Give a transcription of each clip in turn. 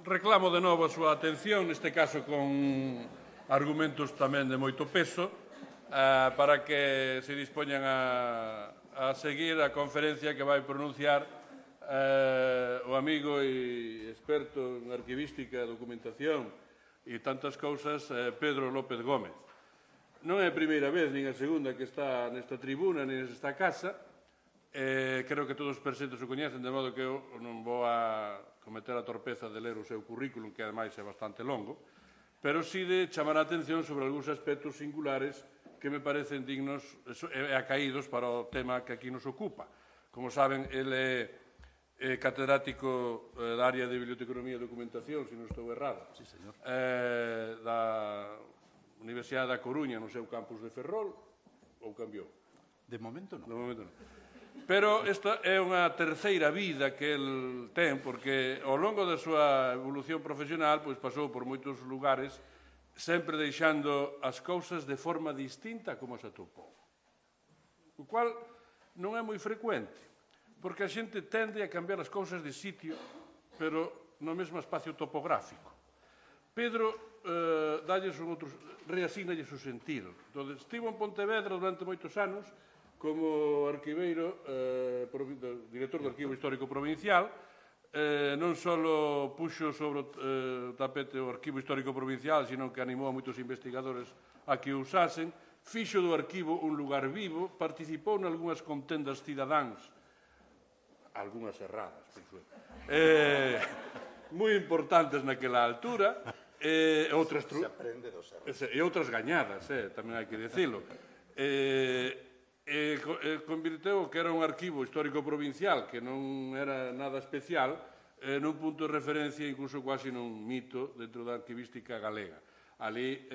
reclamo de novo a súa atención, neste caso con argumentos tamén de moito peso, para que se dispoñan a seguir a conferencia que vai pronunciar o amigo e experto en arquivística, documentación e tantas cousas, Pedro López Gómez. Non é a primeira vez, nin a segunda, que está nesta tribuna, nin nesta casa. Creo que todos os presentes o coñecen, de modo que eu non vou a cometer a torpeza de ler o seu currículum, que ademais é bastante longo, pero sí de chamar a atención sobre algúns aspectos singulares que me parecen dignos e acaídos para o tema que aquí nos ocupa. Como saben, ele é catedrático da área de Biblioteconomía e Documentación, se non estou errado, da Universidade da Coruña, no seu campus de Ferrol, ou cambiou? De momento non. De momento non. Pero esta é unha terceira vida que el ten, porque ao longo da súa evolución profesional pasou por moitos lugares, sempre deixando as cousas de forma distinta como as atopou. O cual non é moi frecuente, porque a xente tende a cambiar as cousas de sitio, pero no mesmo espacio topográfico. Pedro reasínalles o sentido. Entón, estivo en Pontevedra durante moitos anos como arquiveiro, director do Arquivo Histórico Provincial. Non só puxo sobre o tapete o Arquivo Histórico Provincial, sino que animou a moitos investigadores a que o usasen, fixo do arquivo un lugar vivo, participou en algunhas contendas cidadáns, algunhas erradas, penso eu, moi importantes naquela altura, e outras gañadas, tamén hai que dicilo. Convirteu que era un arquivo histórico provincial que non era nada especial nun punto de referencia, incluso quasi nun mito dentro da arquivística galega. Ali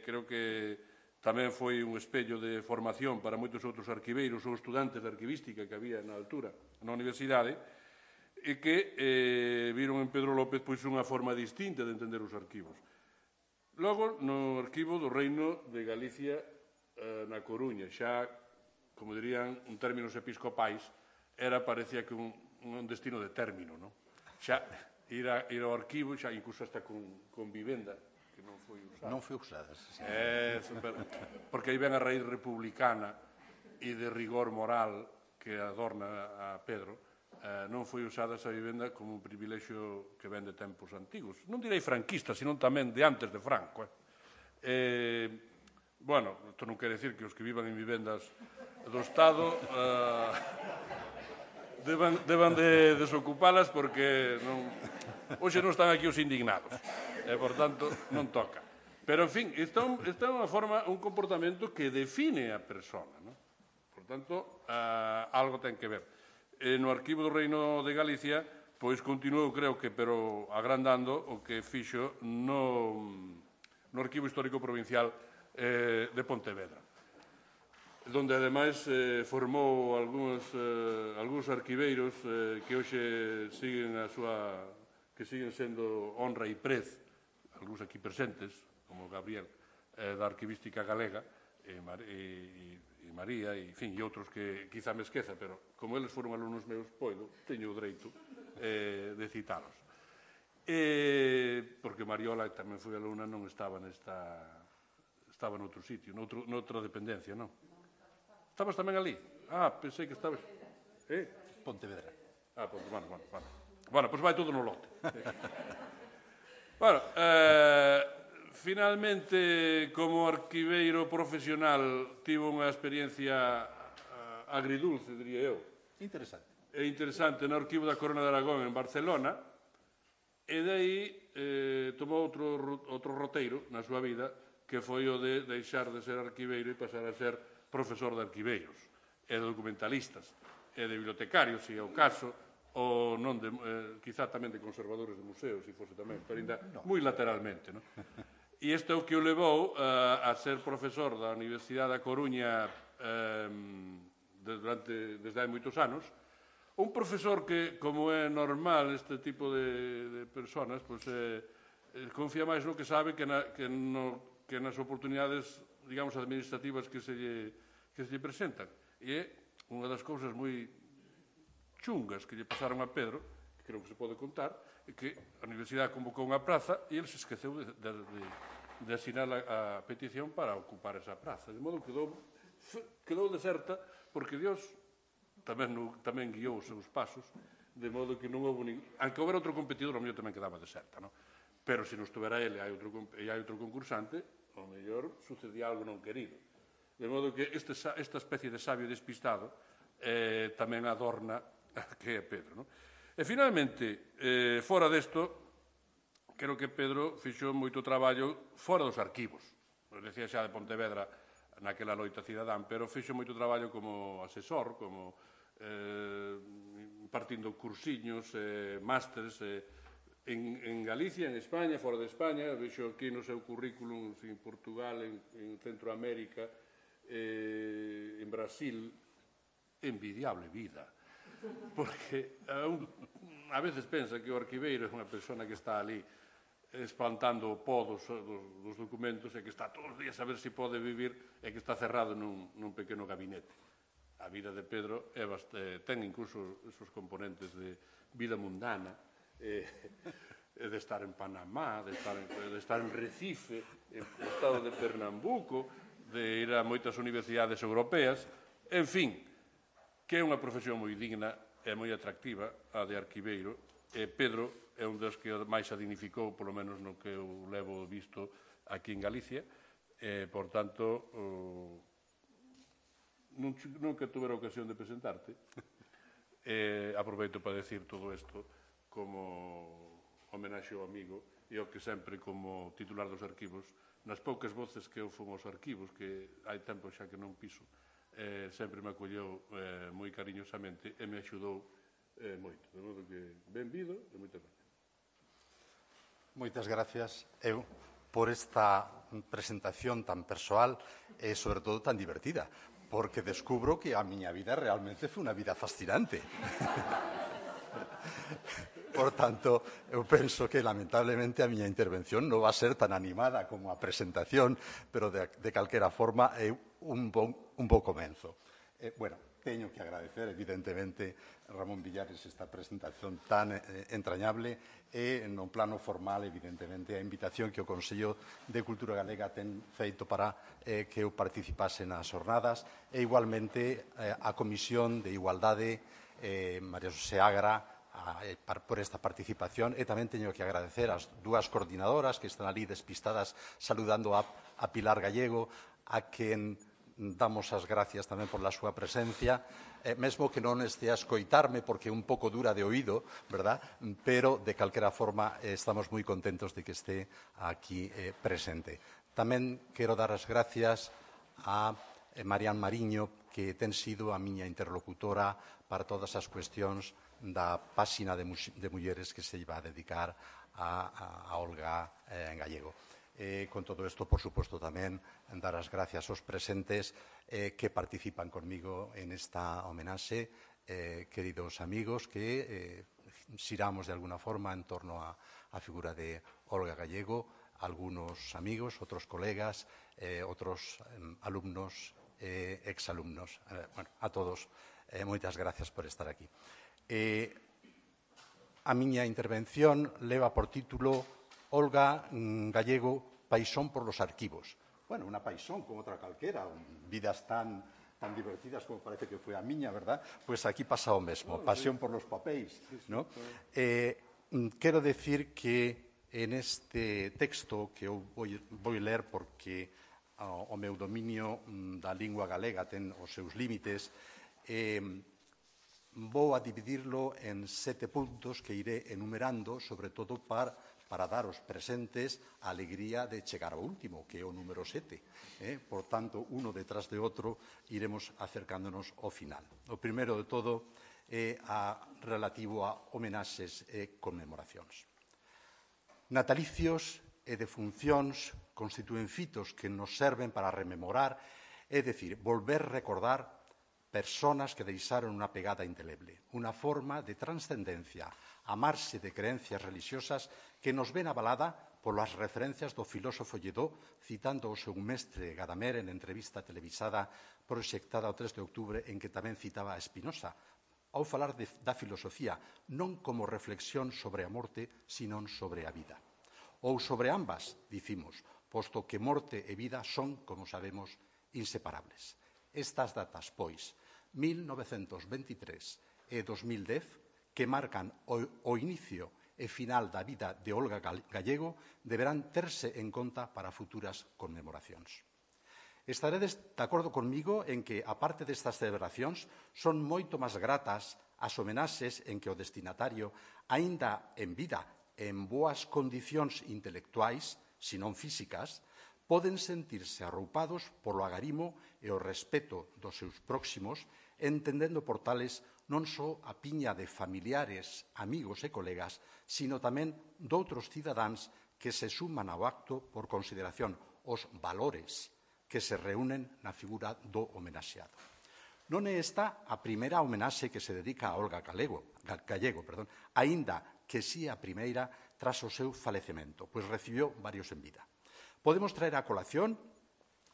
creo que tamén foi un espello de formación para moitos outros arquiveiros ou estudantes de arquivística que había na altura na universidade e que viron en Pedro López unha forma distinta de entender os arquivos. Logo, no arquivo do Reino de Galicia na Coruña, xa como dirían en términos episcopais, parecía que un destino de término, non? Xa ir ao arquivo, xa incluso hasta con vivenda, que non foi usada. Non foi usada, sí. Porque aí ven a raíz republicana e de rigor moral que adorna a Pedro, non foi usada esa vivenda como un privilexio que ven de tempos antigos. Non direi franquista, senón tamén de antes de Franco. Bueno, isto non quere decir que os que vivan en vivendas do Estado deban de desocupalas porque hoxe non están aquí os indignados e, por tanto, non toca. Pero, en fin, esta é unha forma, un comportamento que define a persona. Por tanto, algo ten que ver. No Arquivo do Reino de Galicia, pois continuou, creo que, pero agrandando o que fixo no Arquivo Histórico Provincial de Pontevedra, donde, ademais, formou algúns arquiveiros que hoxe siguen sendo honra e prez, algúns aquí presentes, como Gabriel, da arquivística galega, e María, e outros que quizá me esqueza, pero como eles foron alumnos meus, teño o dereito de citalos. Porque Mariola tamén foi alumna, non estaba noutro sitio, noutra dependencia, non? Estabas tamén ali? Pensei que estabas... Pontevedra. Bueno, pois vai todo no lote. Bueno, finalmente, como arquiveiro profesional, tivo unha experiencia agridulce, diría eu. Interesante. É interesante no Arquivo da Corona de Aragón en Barcelona, e dai tomou outro roteiro na súa vida, que foi o de deixar de ser arquiveiro e pasar a ser profesor de arquiveiros, e de documentalistas, e de bibliotecarios, se é o caso, ou non, quizá tamén de conservadores de museos, se fose tamén, pero ainda moi lateralmente, non? E isto é o que o levou a ser profesor da Universidade da Coruña desde hai moitos anos. Un profesor que, como é normal este tipo de personas, confía máis no que sabe que nas oportunidades, digamos, administrativas que se lle presentan. E é unha das cousas moi chungas que lle pasaron a Pedro, que creo que se pode contar, é que a Universidade convocou unha praza e ele se esqueceu de asinar a petición para ocupar esa praza. De modo que quedou deserta porque Dios tamén guiou os seus pasos, de modo que non houve aunque houbera outro competidor, o mellor tamén quedaba deserta, non? Pero se non estuvera ele e hai outro concursante, o mellor sucedía algo non querido. De modo que esta especie de sabio despistado tamén adorna que é Pedro, non? E, finalmente, fora desto, creo que Pedro fixo moito traballo fora dos arquivos. Decía xa de Pontevedra naquela loita cidadán, pero fixo moito traballo como asesor, como partindo cursiños, másteres en Galicia, en España, fora de España. Vexo aquí no seu currículum en Portugal, en Centroamérica, en Brasil. Envidiable vida. Porque a veces pensa que o arquiveiro é unha persona que está ali espantando o pó dos documentos e que está todos os días a ver se pode vivir e que está cerrado nun pequeno gabinete. A vida de Pedro ten incluso esos componentes de vida mundana, de estar en Panamá, de estar en Recife, en o estado de Pernambuco, de ir a moitas universidades europeas, en fin, que é unha profesión moi digna e moi atractiva, a de arquiveiro, e Pedro é un dos que máis a dignificou, polo menos no que eu levo visto aquí en Galicia, e, por tanto, nunca tuve a ocasión de presentarte. Aproveito para decir todo isto como homenaxe ao amigo e ao que sempre, como titular dos arquivos, nas poucas voces que eu fun aos arquivos, que hai tempo xa que non piso, sempre me acolleu moi cariñosamente e me axudou moito. De modo que, benvido e moitas gracias. Moitas gracias, eu, por esta presentación tan persoal e, sobre todo, tan divertida, porque descubro que a miña vida realmente foi unha vida fascinante. Por tanto, eu penso que, lamentablemente, a miña intervención non va a ser tan animada como a presentación, pero, de calquera forma, é un bo comenzo. Bueno, teño que agradecer, evidentemente, Ramón Villares, esta presentación tan entrañable e, no plano formal, evidentemente, a invitación que o Consello de Cultura Galega ten feito para que eu participase nas jornadas e, igualmente, a Comisión de Igualdade, María Xosé Agra, por esta participación, e tamén teño que agradecer as dúas coordinadoras que están ali despistadas saludando a Pilar Gallego, a quen damos as gracias tamén por la súa presencia, mesmo que non este a escoitarme porque é un pouco dura de oído, verdad? Pero, de calquera forma, estamos moi contentos de que este aquí presente. Tamén quero dar as gracias a Marián Mariño, que ten sido a miña interlocutora para todas as cuestións da páxina de mulleres que se iba a dedicar a Olga Gallego. Con todo isto, por suposto, tamén dar as gracias aos presentes que participan conmigo en esta homenaxe, queridos amigos, que xiramos de alguna forma en torno á figura de Olga Gallego, algunos amigos, outros colegas, outros alumnos, exalumnos. Bueno, a todos, moitas gracias por estar aquí. A miña intervención leva por título Olga Gallego, paixón por los arquivos. Bueno, unha paixón como outra calquera, vidas tan divertidas como parece que foi a miña, verdad? Pois aquí pasa o mesmo, pasión por los papéis, ¿no? Quero decir que en este texto que eu vou ler porque o meu dominio da lingua galega ten os seus límites, vou a dividirlo en 7 puntos que iré enumerando, sobre todo para dar aos presentes a alegría de chegar ao último, que é o número 7. Por tanto, uno detrás de outro, iremos acercándonos ao final. O primeiro de todo é relativo a homenaxes e conmemoracións. Natalicios e defuncións constitúen fitos que nos serven para rememorar, é dicir, volver recordar personas que deixaron unha pegada indeleble, unha forma de transcendencia, a marxe de creencias religiosas que nos ven avalada polas referencias do filósofo Lledó, citando o seu mestre Gadamer en entrevista televisada proxectada o 3 de outubro, en que tamén citaba a Spinoza, ao falar da filosofía non como reflexión sobre a morte, senón sobre a vida. Ou sobre ambas, dicimos, posto que morte e vida son, como sabemos, inseparables. Estas datas, pois, 1923 e 2010, que marcan o inicio e final da vida de Olga Gallego, deberán terse en conta para futuras conmemoracións. Estaredes de acordo conmigo en que, aparte destas celebracións, son moito máis gratas as homenaxes en que o destinatario, aínda en vida e en boas condicións intelectuais, se non físicas, poden sentirse arroupados polo agarimo e o respeto dos seus próximos, entendendo por tales non só a piña de familiares, amigos e colegas, sino tamén doutros cidadáns que se suman ao acto por consideración os valores que se reúnen na figura do homenaxeado. Non é esta a primeira homenaxe que se dedica a Olga Gallego, aínda que si a primeira tras o seu falecemento, pois recibiu varios en vida. Podemos traer a colación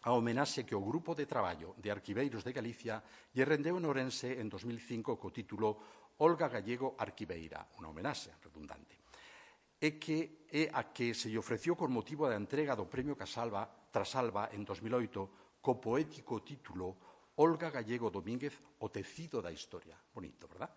a homenaxe que o Grupo de Traballo de Arquiveiros de Galicia lle rendeu en Ourense en 2005 co título Olga Gallego Arquiveira, unha homenaxe redundante, e que é a que se lle ofreció con motivo da entrega do Premio Trasalba en 2008 co poético título Olga Gallego Domínguez, o tecido da historia. Bonito, verdad?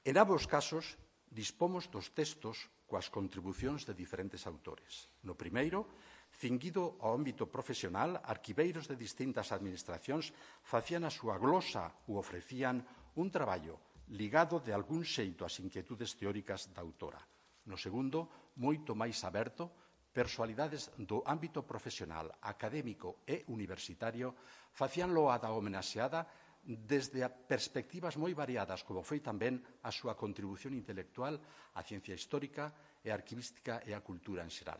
En ambos casos, dispomos dos textos coas contribucións de diferentes autores. No primeiro, cinguido ao ámbito profesional, arquiveiros de distintas administracións facían a súa glosa ou ofrecían un traballo ligado de algún xeito ás inquietudes teóricas da autora. No segundo, moito máis aberto, persoalidades do ámbito profesional, académico e universitario facían loada homenaxeada desde perspectivas moi variadas, como foi tamén a súa contribución intelectual á ciencia histórica e arquivística e á cultura en xeral.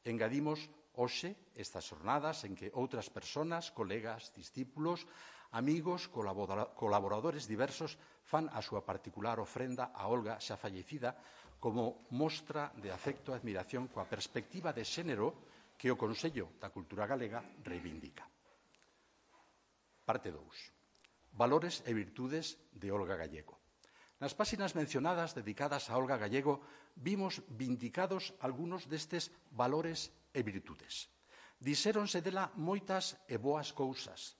Engadimos hoxe estas xornadas en que outras persoas, colegas, discípulos, amigos, colaboradores diversos fan a súa particular ofrenda a Olga xa fallecida como mostra de afecto e admiración coa perspectiva de xénero que o Consello da Cultura Galega reivindica. Parte 2. Valores e virtudes de Olga Gallego. Nas páxinas mencionadas dedicadas a Olga Gallego vimos vindicados algúns destes valores e virtudes. Dixéronse dela moitas e boas cousas.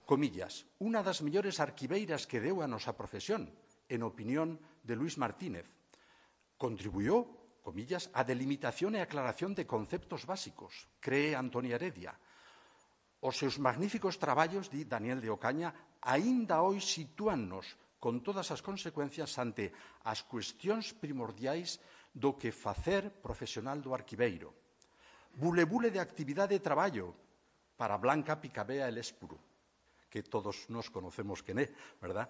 Comillas, unha das mellores arquiveiras que deu a nosa profesión, en opinión de Luis Martínez. Contribuyó, comillas, a delimitación e aclaración de conceptos básicos, cree Antonia Heredia. Os seus magníficos traballos, di Daniel de Ocaña, aínda hoxe sitúannos con todas as consecuencias ante as cuestións primordiais do que facer profesional do arquiveiro. Bule de actividade e traballo para Blanca Picabea e Lespuro, que todos nos conocemos quen é, verdad?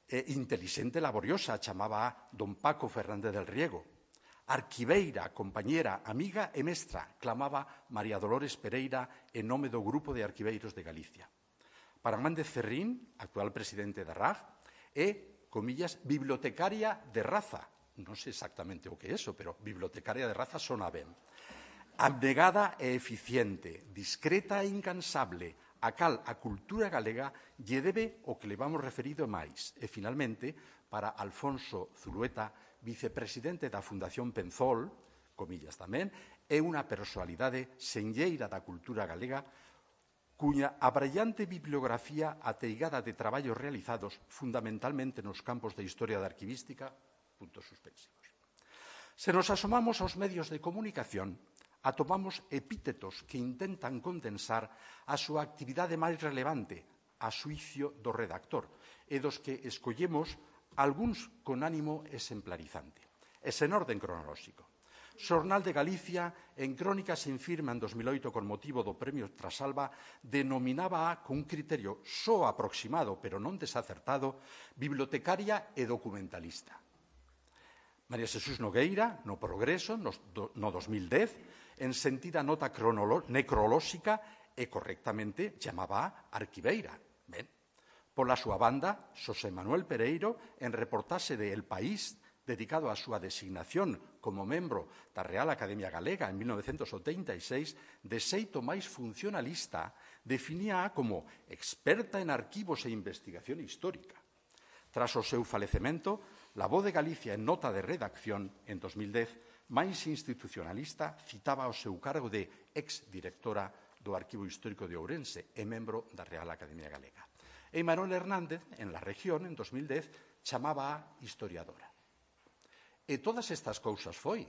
Intelixente e laboriosa, chamaba a don Paco Fernández del Riego. Arquiveira, compañera, amiga e mestra, clamaba María Dolores Pereira en nome do Grupo de Arquiveiros de Galicia. Para Mández Ferrín, actual presidente da RAG, é, comillas, bibliotecaria de raza. Non sei exactamente o que é eso, pero bibliotecaria de raza sona ben. Abnegada e eficiente, discreta e incansable, a cal a cultura galega lle debe o que le vamos referido máis. E, finalmente, para Alfonso Zulueta, vicepresidente da Fundación Penzol, comillas tamén, é unha personalidade senlleira da cultura galega cuña abrallante bibliografía ateigada de traballos realizados fundamentalmente nos campos de historia da arquivística, puntos suspensivos. Se nos asomamos aos medios de comunicación, atopamos epítetos que intentan condensar a súa actividade máis relevante a xuicio do redactor e dos que escollemos algúns con ánimo exemplarizante. E sen orden cronolóxico. Xornal de Galicia, en crónica sen firma en 2008 con motivo do Premio Trasalba, denominaba con un criterio só aproximado, pero non desacertado, bibliotecaria e documentalista. María Xesús Nogueira, no Progreso, no 2010, en sentida nota necrolóxica e correctamente chamaba arquiveira. Ben, pola súa banda, Xosé Manuel Pereiro, en reportaxe de El País, dedicado á súa designación como membro da Real Academia Galega en 1986, de xeito máis funcionalista, definíaa como experta en arquivos e investigación histórica. Tras o seu falecemento, La Voz de Galicia, en nota de redacción en 2010, máis institucionalista, citaba o seu cargo de ex-directora do Arquivo Histórico de Ourense e membro da Real Academia Galega. E Manuel Hernández, en La Región, en 2010, chamaba a historiadora. E todas estas cousas foi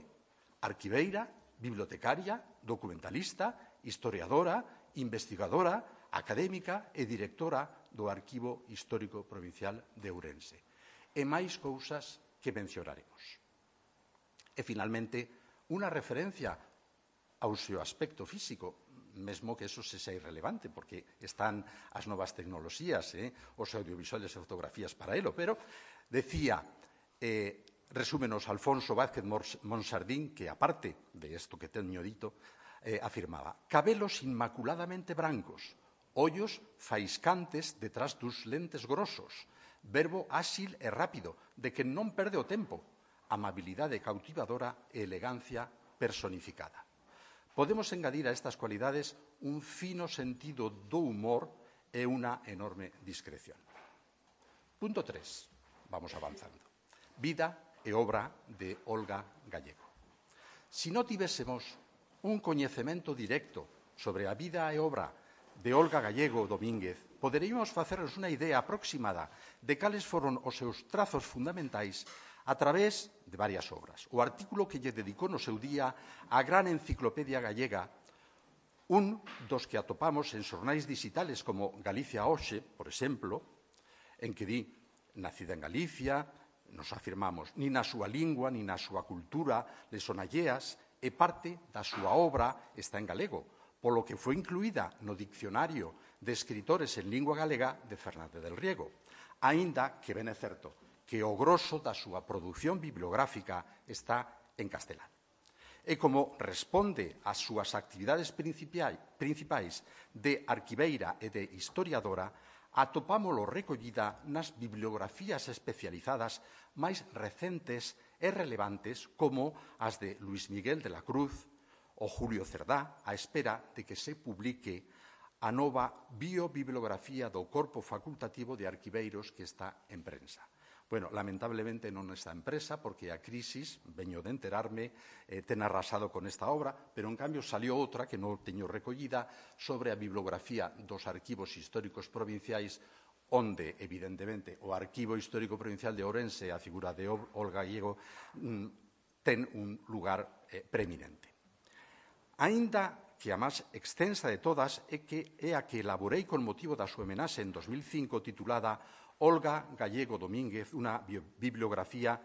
arquiveira, bibliotecaria, documentalista, historiadora, investigadora, académica e directora do Arquivo Histórico Provincial de Ourense. E máis cousas que mencionaremos. E, finalmente, unha referencia ao seu aspecto físico, mesmo que eso se sea irrelevante, porque están as novas tecnoloxías, os audiovisuales e fotografías para elo, pero decía, resúmenos Alfonso Vázquez Monsardín, que aparte de isto que teño dito, afirmaba: cabelos inmaculadamente brancos, ollos faiscantes detrás dos lentes grosos, verbo áxil e rápido, de que non perde o tempo, amabilidade cautivadora e elegancia personificada. Podemos engadir a estas cualidades un fino sentido do humor e unha enorme discreción. Punto 3. Vamos avanzando. Vida e obra de Olga Gallego. Se non tivésemos un coñecemento directo sobre a vida e obra de Olga Gallego Domínguez, poderíamos facernos unha idea aproximada de cales foron os seus trazos fundamentais a través de varias obras. O artículo que lle dedicou no seu día á gran enciclopedia gallega, un dos que atopamos en xornais digitales como Galicia Hoxe, por exemplo, en que di, nacida en Galicia, nos afirmamos, nin na súa lingua, nin na súa cultura, le son alleas, e parte da súa obra está en galego, polo que foi incluída no Dicionario de Escritores en Lingua Galega de Fernández del Riego, aínda que ben é certo que o grosso da súa produción bibliográfica está en castelán. E como responde ás súas actividades principais de arquiveira e de historiadora, atopámolo recollida nas bibliografías especializadas máis recentes e relevantes como as de Luis Miguel de la Cruz ou Julio Cerdá, á espera de que se publique a nova biobibliografía do Corpo Facultativo de Arquiveiros que está en prensa. Bueno, lamentablemente non está en presa porque a crisis, veño de enterarme, ten arrasado con esta obra, pero en cambio salió outra que non teño recollida sobre a bibliografía dos arquivos históricos provinciais onde, evidentemente, o Arquivo Histórico Provincial de Ourense, a figura de Olga Gallego, ten un lugar preeminente. Aínda que a máis extensa de todas é a que elaborei con motivo da súa homenaxe en 2005 titulada Olga Gallego Domínguez, unha biobibliografía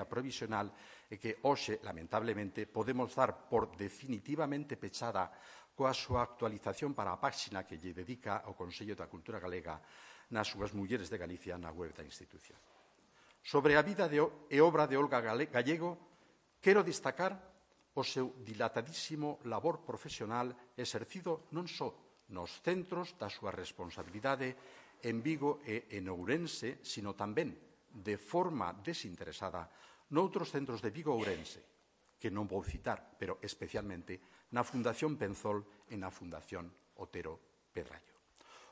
provisional e que hoxe, lamentablemente, podemos dar por definitivamente pechada coa súa actualización para a páxina que lle dedica o Consello da Cultura Galega nas súas Mulleres de Galicia na web da institución. Sobre a vida e obra de Olga Gallego, quero destacar o seu dilatadísimo labor profesional exercido non só nos centros da súa responsabilidade en Vigo e en Ourense, sino tamén, de forma desinteresada, noutros centros de Vigo e Ourense, que non vou citar, pero especialmente na Fundación Penzol e na Fundación Otero Pedrallo.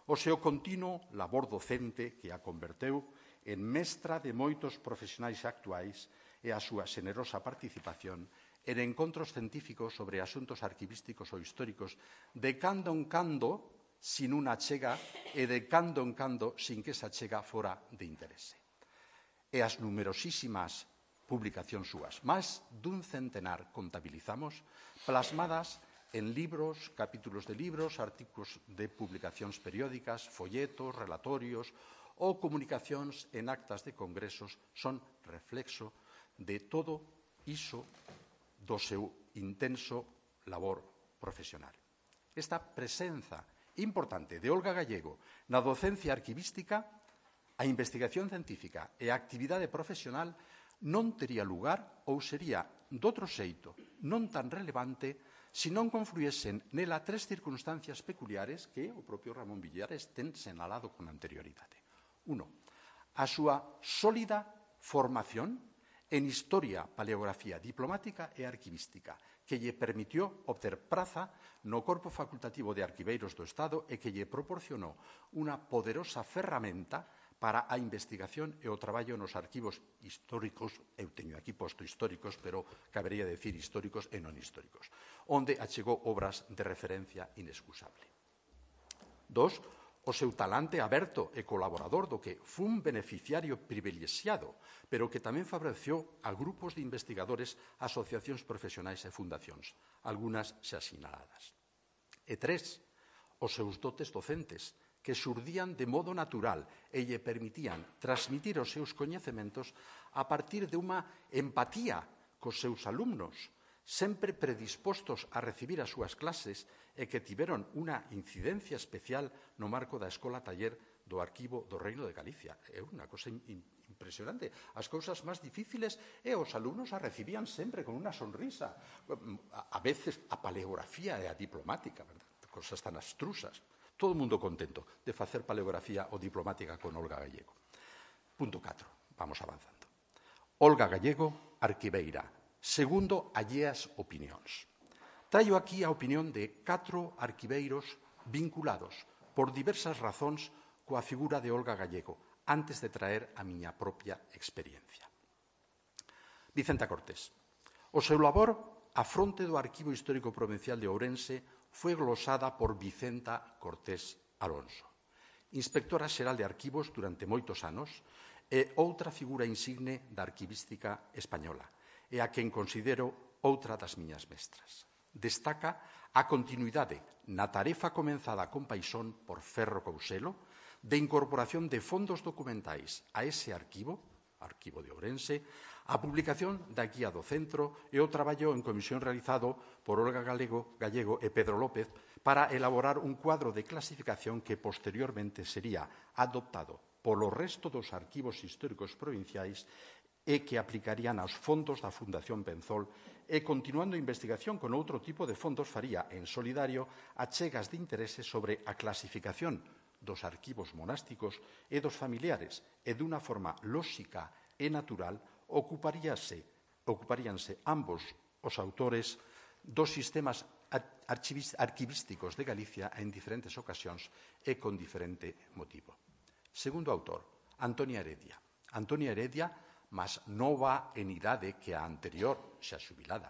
O seu continuo labor docente que a converteu en mestra de moitos profesionais actuais e a súa xenerosa participación en encontros científicos sobre asuntos arquivísticos ou históricos de cando en cando sin unha achega e de cando en cando sin que esa achega fora de interese. E as numerosísimas publicacións súas, máis dun centenar contabilizamos, plasmadas en libros, capítulos de libros, artículos de publicacións periódicas, folletos, relatorios ou comunicacións en actas de congresos, son reflexo de todo iso do seu intenso labor profesional. Esta presenza importante de Olga Gallego na docencia arquivística, a investigación científica e a actividade profesional non tería lugar ou sería doutro xeito non tan relevante se non confluísen nela tres circunstancias peculiares que o propio Ramón Villares ten senalado con anterioridade. 1. A súa sólida formación en historia, paleografía diplomática e arquivística, que lle permitió obter praza no Corpo Facultativo de Arquiveiros do Estado e que lle proporcionou unha poderosa ferramenta para a investigación e o traballo nos arquivos históricos, eu teño aquí posto históricos, pero cabería decir históricos e non históricos, onde achegou obras de referencia inexcusable. 2. O seu talante aberto e colaborador do que fun beneficiario privilexiado, pero que tamén favoreceu a grupos de investigadores, asociacións profesionais e fundacións, algunhas xa sinaladas. E 3. Os seus dotes docentes, que xurdían de modo natural e lle permitían transmitir os seus coñecementos a partir de unha empatía cos seus alumnos, sempre predispostos a recibir as súas clases e que tiveron unha incidencia especial no marco da Escola Taller do Arquivo do Reino de Galicia. É unha cosa impresionante. As cousas máis difíciles e os alumnos a recibían sempre con unha sonrisa. A veces a paleografía e a diplomática, verdad? Cosas tan abstrusas. Todo o mundo contento de facer paleografía ou diplomática con Olga Gallego. Punto 4. Vamos avanzando. Olga Gallego, arquiveira. Segundo, alleas opinións. Traio aquí a opinión de 4 arquiveiros vinculados por diversas razóns coa figura de Olga Gallego, antes de traer a miña propia experiencia. Vicenta Cortés. O seu labor a fronte do Arquivo Histórico Provincial de Ourense foi glosada por Vicenta Cortés Alonso, inspectora xeral de arquivos durante moitos anos e outra figura insigne da arquivística española, e a quen considero outra das miñas mestras. Destaca a continuidade na tarefa comenzada con paixón por Ferro Couselo de incorporación de fondos documentais a ese arquivo, Arquivo de Ourense, a publicación da Guía do Centro e o traballo en comisión realizado por Olga Gallego e Pedro López para elaborar un cuadro de clasificación que posteriormente sería adoptado polo resto dos arquivos históricos provinciais e que aplicarían aos fondos da Fundación Penzol e, continuando a investigación con outro tipo de fondos, faría en solidario achegas de interese sobre a clasificación dos arquivos monásticos e dos familiares e, dunha forma lóxica e natural, ocuparíanse ambos os autores dos sistemas arquivísticos de Galicia en diferentes ocasións e con diferente motivo. Segundo autor, Antonia Heredia. Antonia Heredia, máis nova en idade que a anterior, xa xubilada,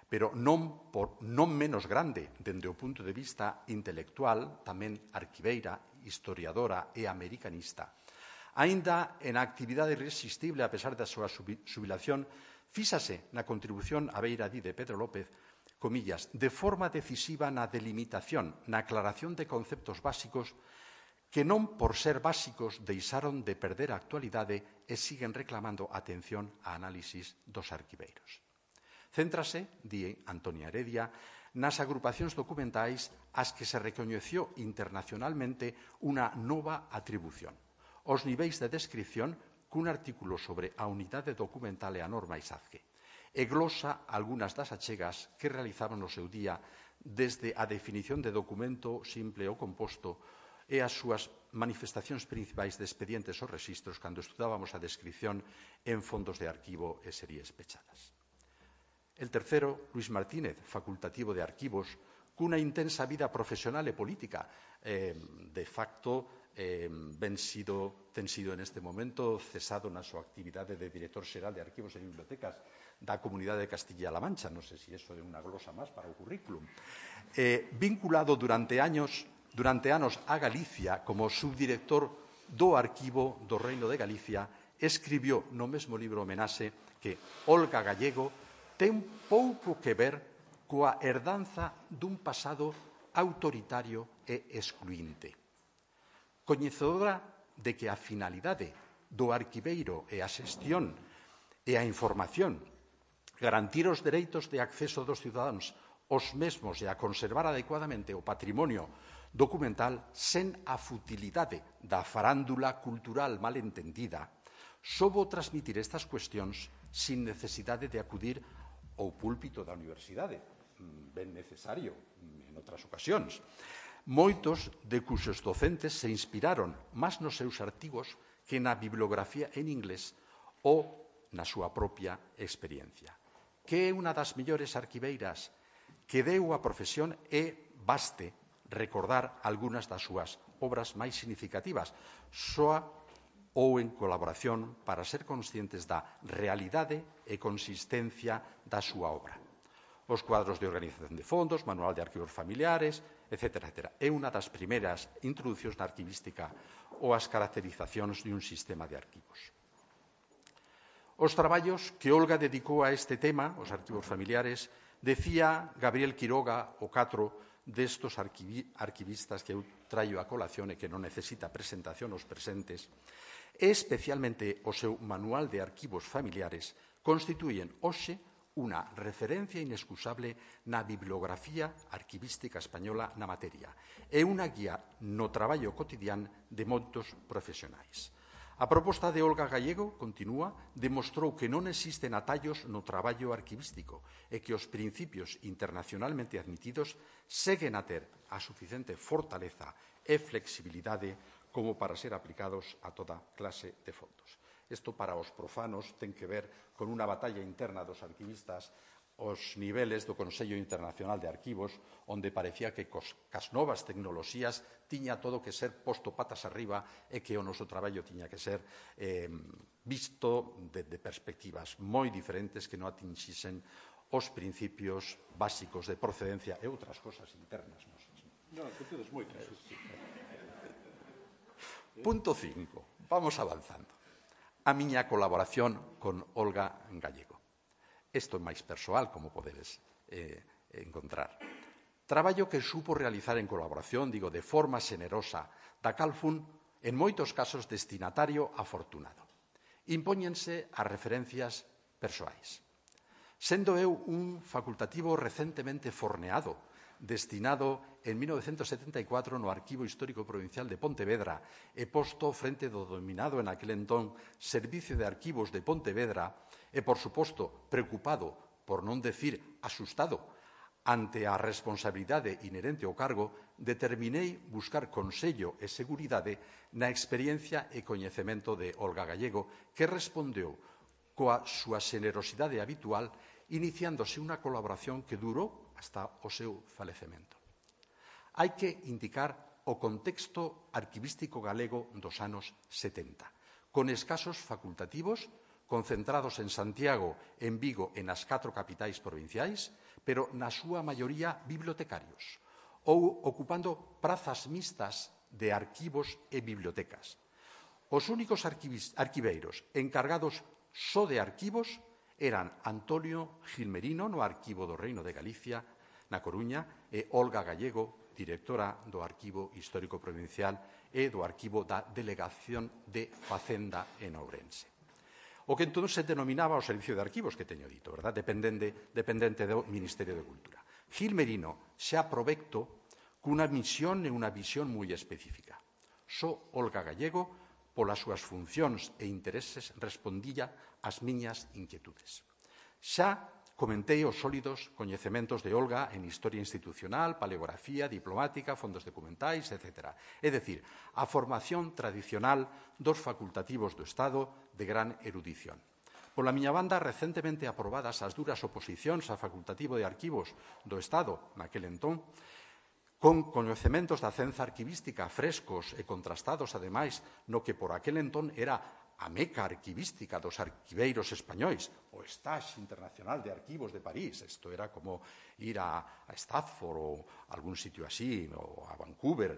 pero non menos grande dende o punto de vista intelectual, tamén arquiveira, historiadora e americanista. Aínda en actividade irresistible a pesar da súa xubilación, fíxase na contribución a beira de Pedro López, comillas, de forma decisiva na delimitación, na aclaración de conceptos básicos que non por ser básicos deixaron de perder a actualidade e siguen reclamando atención a análisis dos arquiveiros. Céntrase, di Antonia Heredia, nas agrupacións documentais ás que se recoñeceu internacionalmente unha nova atribución, os niveis de descripción cun artículo sobre a unidade documental e a norma ISAZGE, e glosa algunhas das achegas que realizaban no seu día desde a definición de documento simple ou composto e as súas manifestacións principais de expedientes ou rexistros cando estudábamos a descripción en fondos de arquivo e series pechadas. El tercero, Luis Martínez, facultativo de arquivos, cunha intensa vida profesional e política, de facto ten sido en este momento cesado na súa actividade de director xeral de arquivos e bibliotecas da Comunidade de Castilla-La Mancha, non sei se iso é unha glosa máis para o currículum, vinculado durante anos a Galicia como subdirector do Arquivo do Reino de Galicia, escribiu no mesmo libro homenaxe que Olga Gallego ten pouco que ver coa herdanza dun pasado autoritario e excluinte. Coñecedora de que a finalidade do arquiveiro e a xestión e a información, garantir os dereitos de acceso dos cidadáns os mesmos e a conservar adecuadamente o patrimonio documental sen a futilidade da farándula cultural mal entendida, soubo transmitir estas cuestións sin necesidade de acudir ao púlpito da universidade, ben necesario en outras ocasións. Moitos de cuxos docentes se inspiraron máis nos seus artigos que na bibliografía en inglés ou na súa propia experiencia. Que é unha das mellores arquiveiras que deu a profesión e baste recordar algunhas das súas obras máis significativas. Soa ou en colaboración para ser conscientes da realidade e consistencia da súa obra. Os cuadros de organización de fondos, manual de arquivos familiares, etc. É unha das primeiras introducións na arquivística ou as caracterizacións de un sistema de arquivos. Os traballos que Olga dedicou a este tema, os arquivos familiares, decía Gabriel Quiroga, o catro destos arquivistas que eu traio a colación e que non necesita presentación aos presentes, e especialmente o seu manual de arquivos familiares, constituyen hoxe unha referencia inexcusable na bibliografía arquivística española na materia e unha guía no traballo cotidián de moitos profesionais. A proposta de Olga Gallego, continúa, demostrou que non existen atallos no traballo arquivístico e que os principios internacionalmente admitidos seguen a ter a suficiente fortaleza e flexibilidade como para ser aplicados a toda clase de fondos. Isto para os profanos ten que ver con unha batalla interna dos arquivistas os niveles do Consello Internacional de Arquivos, onde parecía que cas novas tecnoloxías tiña todo que ser posto patas arriba e que o noso traballo tiña que ser visto de perspectivas moi diferentes que non atinxisen os principios básicos de procedencia e outras cosas internas nosas. Non, que tedes moitas. Punto 5. Vamos avanzando. A miña colaboración con Olga Gallego. Isto é máis persoal, como podedes encontrar. Traballo que supo realizar en colaboración, digo, de forma xenerosa, da cal fun, en moitos casos, destinatario afortunado. Impóñense as referencias persoais. Sendo eu un facultativo recentemente forneado, destinado en 1974 no Arquivo Histórico Provincial de Pontevedra e posto frente do dominado en aquel entón Servicio de Arquivos de Pontevedra e, por suposto, preocupado, por non decir asustado, ante a responsabilidade inherente ao cargo, determinei buscar consello e seguridade na experiencia e coñecemento de Olga Gallego, que respondeu coa súa xenerosidade habitual, iniciándose unha colaboración que durou hasta o seu falecemento. Hai que indicar o contexto arquivístico galego dos anos 70, con escasos facultativos, concentrados en Santiago, en Vigo e nas 4 capitais provinciais, pero na súa maioría bibliotecarios, ou ocupando prazas mixtas de arquivos e bibliotecas. Os únicos arquiveiros encargados só de arquivos eran Antonio Gilmerino, no Arquivo do Reino de Galicia, na Coruña, e Olga Gallego, directora do Arquivo Histórico Provincial e do Arquivo da Delegación de Facenda en Ourense. O que entón se denominaba o Servicio de Arquivos, que teño dito, verdad? Dependente do Ministerio de Cultura. Gilmerino xa provecto cunha misión e unha visión moi específica. Só Olga Gallego, polas súas funcións e intereses, respondía ás miñas inquietudes. Xa comentei os sólidos coñecementos de Olga en historia institucional, paleografía, diplomática, fondos documentais, etc. É dicir, a formación tradicional dos facultativos do Estado de gran erudición. Pola miña banda, recentemente aprobadas as duras oposicións ao facultativo de arquivos do Estado, naquel entón, con coñecementos da cenza arquivística frescos e contrastados, ademais, no que por aquel entón era a meca arquivística dos arquiveiros españois, o Stage Internacional de Arquivos de París. Isto era como ir a Stafford ou algún sitio así, ou a Vancouver,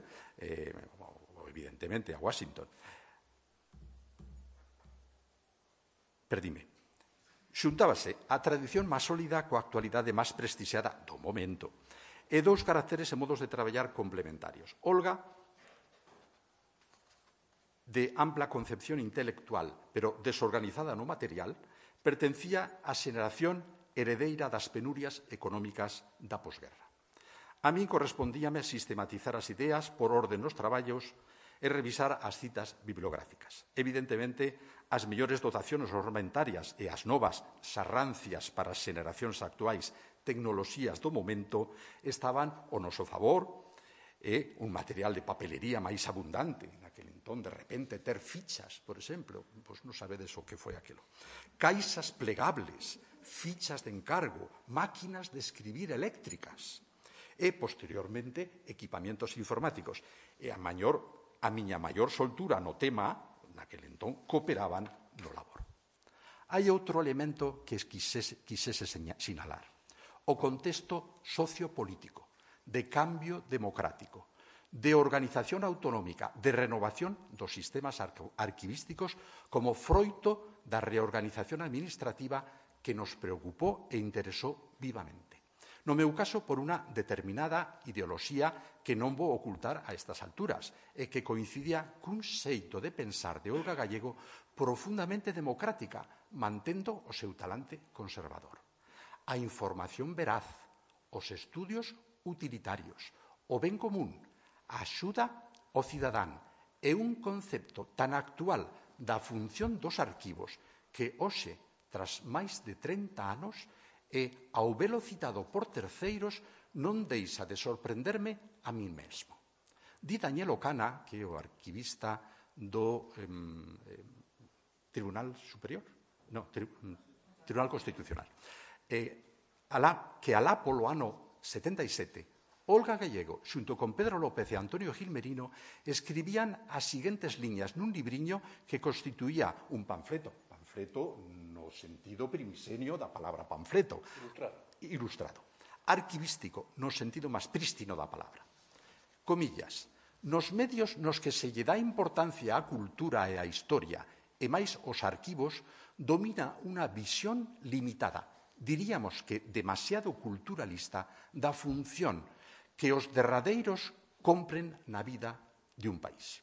ou evidentemente a Washington. Perdime. Xuntábase a tradición máis sólida coa actualidade máis prestixiada do momento e dous caracteres e modos de traballar complementarios. Olga, de ampla concepción intelectual, pero desorganizada no material, pertencía á xeración heredeira das penurias económicas da posguerra. A min correspondíame sistematizar as ideas por orden nos traballos e revisar as citas bibliográficas. Evidentemente, as mellores dotacións ornamentarias e as novas sarrancias para as xeracións actuais tecnoloxías do momento estaban ao noso favor e un material de papelería máis abundante. Naquel entón, de repente, ter fichas, por exemplo, pois non sabedes o que foi aquilo. Caixas plegables, fichas de encargo, máquinas de escribir eléctricas e, posteriormente, equipamientos informáticos. E a miña maior soltura no tema, naquele entón, cooperaban no labor. Hai outro elemento que quisese sinalar. O contexto sociopolítico, de cambio democrático, de organización autonómica, de renovación dos sistemas arquivísticos como froito da reorganización administrativa que nos preocupou e interesou vivamente. No meu caso, por unha determinada ideoloxía que non vou ocultar a estas alturas e que coincidía cun xeito de pensar de Olga Gallego profundamente democrática, mantendo o seu talante conservador. A información veraz, os estudios utilitarios, o ben común, a axuda ao cidadán é un concepto tan actual da función dos arquivos que hoxe, tras máis de 30 anos, e ao velo citado por terceiros, non deixa de sorprenderme a mí mesmo. Di Daniel Ocana, que é o arquivista do Tribunal Superior, Tribunal Constitucional, que alá polo ano 77, Olga Gallego, xunto con Pedro López e Antonio Gil Merino, escribían as seguintes liñas nun libriño que constituía un panfleto no sentido primisenio da palabra panfleto, ilustrado, arquivístico no sentido máis prístino da palabra. Comillas, nos medios nos que se lle dá importancia á cultura e á historia, e máis os arquivos, domina unha visión limitada, diríamos que demasiado culturalista, da función que os derradeiros compren na vida de un país.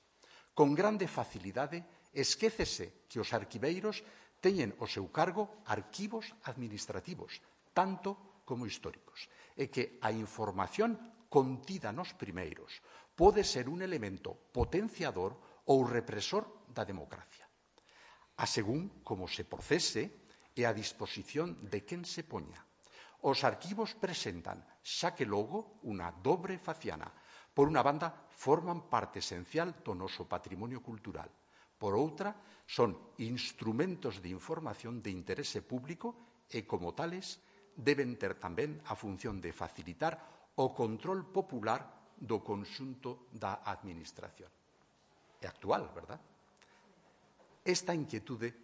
Con grande facilidade, esquécese que os arquiveiros teñen ao seu cargo arquivos administrativos, tanto como históricos, e que a información contida nos primeiros pode ser un elemento potenciador ou represor da democracia. A según como se procese e a disposición de quen se poña. Os arquivos presentan, xa que logo, unha dobre faciana. Por unha banda, forman parte esencial do noso patrimonio cultural. Por outra, son instrumentos de información de interese público e, como tales, deben ter tamén a función de facilitar o control popular do conxunto da administración. É actual, verdad? Esta inquietude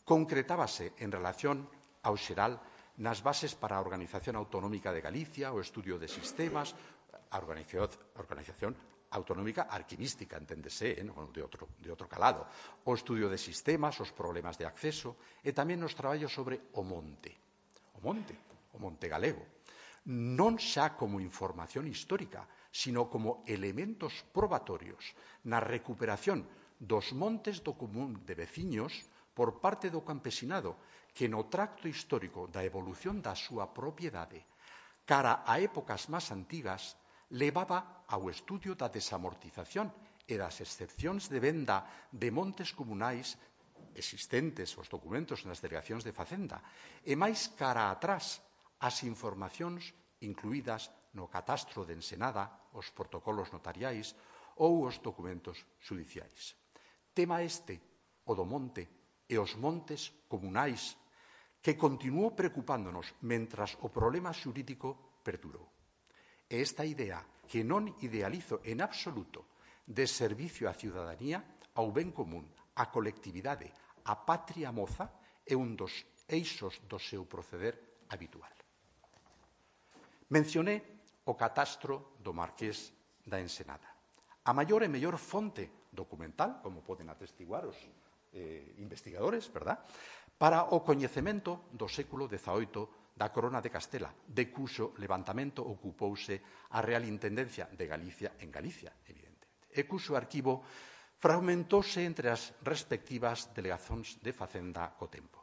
concretábase en relación ao xeral nas bases para a Organización Autonómica de Galicia, o estudio de sistemas, a Organización Autonómica Arquivística, enténdese, de outro calado, o estudio de sistemas, os problemas de acceso, e tamén nos traballos sobre o monte galego, non xa como información histórica, sino como elementos probatorios na recuperación dos montes do común de veciños por parte do campesinado, que no tracto histórico da evolución da súa propiedade cara a épocas máis antigas levaba ao estudio da desamortización e das excepcións de venda de montes comunais existentes os documentos nas delegacións de Facenda e máis cara atrás as informacións incluídas no catastro de Ensenada, os protocolos notariais ou os documentos xudiciais. Tema este, o do monte e os montes comunais, que continuou preocupándonos mentras o problema xurídico perdurou. E esta idea, que non idealizo en absoluto, de servicio á ciudadanía, ao ben común, á colectividade, á patria moza, é un dos eixos do seu proceder habitual. Mencioné o catastro do Marqués da Ensenada. A maior e mellor fonte documental, como poden atestiguar os investigadores, verdad?, para o coñecemento do século XVIII da Corona de Castela, de cuxo levantamento ocupouse a Real Intendencia de Galicia en Galicia, evidentemente, e cuxo arquivo fragmentouse entre as respectivas delegacións de Facenda co tempo.